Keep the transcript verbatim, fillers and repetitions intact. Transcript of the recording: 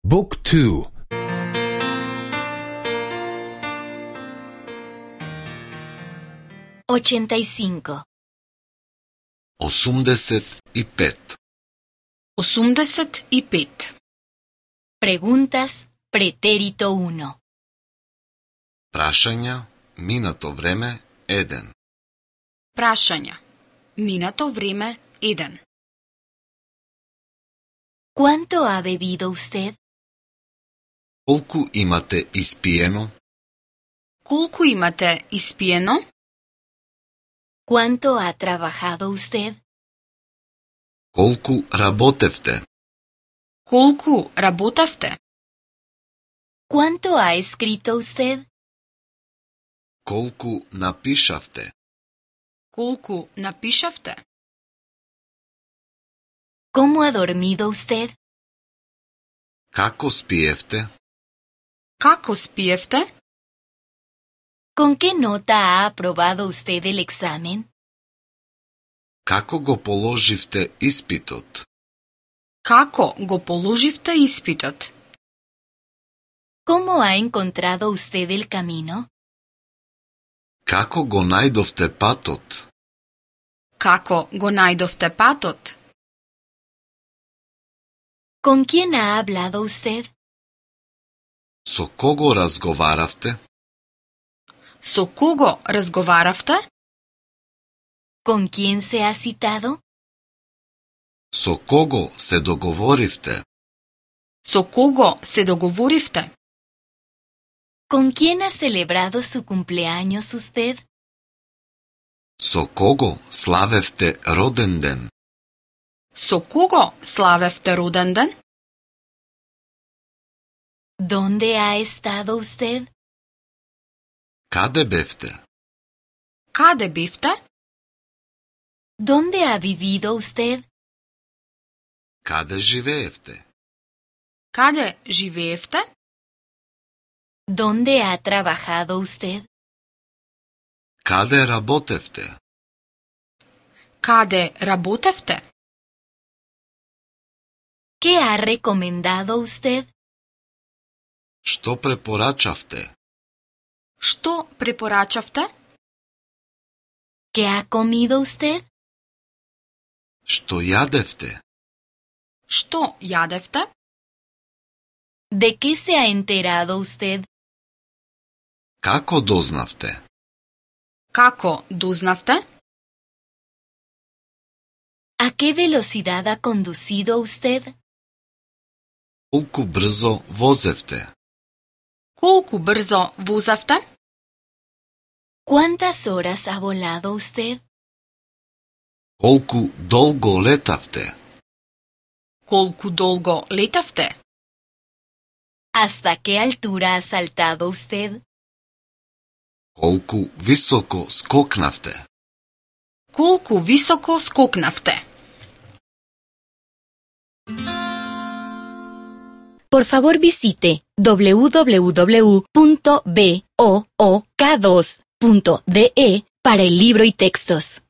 Book two. ochenta y cinco. осумдесет и пет. осумдесет и пет. Preguntas pretérito uno. Прашања, минато време, еден. Прашања. Минато време еден. ¿Cuánto ha bebido usted? Колку имате испиено? Колку имате испиено? ¿Cuánto ha trabajado usted? Колку работевте? Колку работевте? ¿Cuánto ha escrito usted? Колку напишавте? Колку напишавте? ¿Cómo ha dormido usted? Како спиевте? Како спиевте? ¿Con qué nota ha aprobado usted el examen? Како го положивте испитот? Како го положивте испитот? ¿Cómo ha encontrado usted el camino? Како го најдовте патот? Како го најдовте патот? ¿Con quién ha hablado usted? Со кого разговаравте? Со кого разговаравте? ¿Con quién se ha citado? Со кого се договоривте? Со кого се договоривте? ¿Con quién ha celebrado su cumpleaños usted? Со кого славевте роден ден? Со кого славевте роден ден? ¿Dónde ha estado usted? Каде бевте? Каде бевте? ¿Dónde ha vivido usted? Каде живеевте? Каде живеевте? ¿Dónde ha trabajado usted? Каде работевте? Каде работевте? ¿Qué ha recomendado usted? Што препорачавте? Што препорачавте? ¿Qué ha comido usted? Што јадевте? Што јадевте? ¿De qué se ha enterado usted? Како дознавте? Како дознавте? ¿A qué velocidad ha conducido usted? Колку брзо возевте? Колку брзо возевте? ¿Cuántas horas ha volado usted? Колку долго летавте? Колку долго летавте? ¿Hasta qué altura ha saltado usted? Колку високо скокнавте? Колку високо скокнавте? Por favor visite doble u doble u doble u punto book dos punto de para el libro y textos.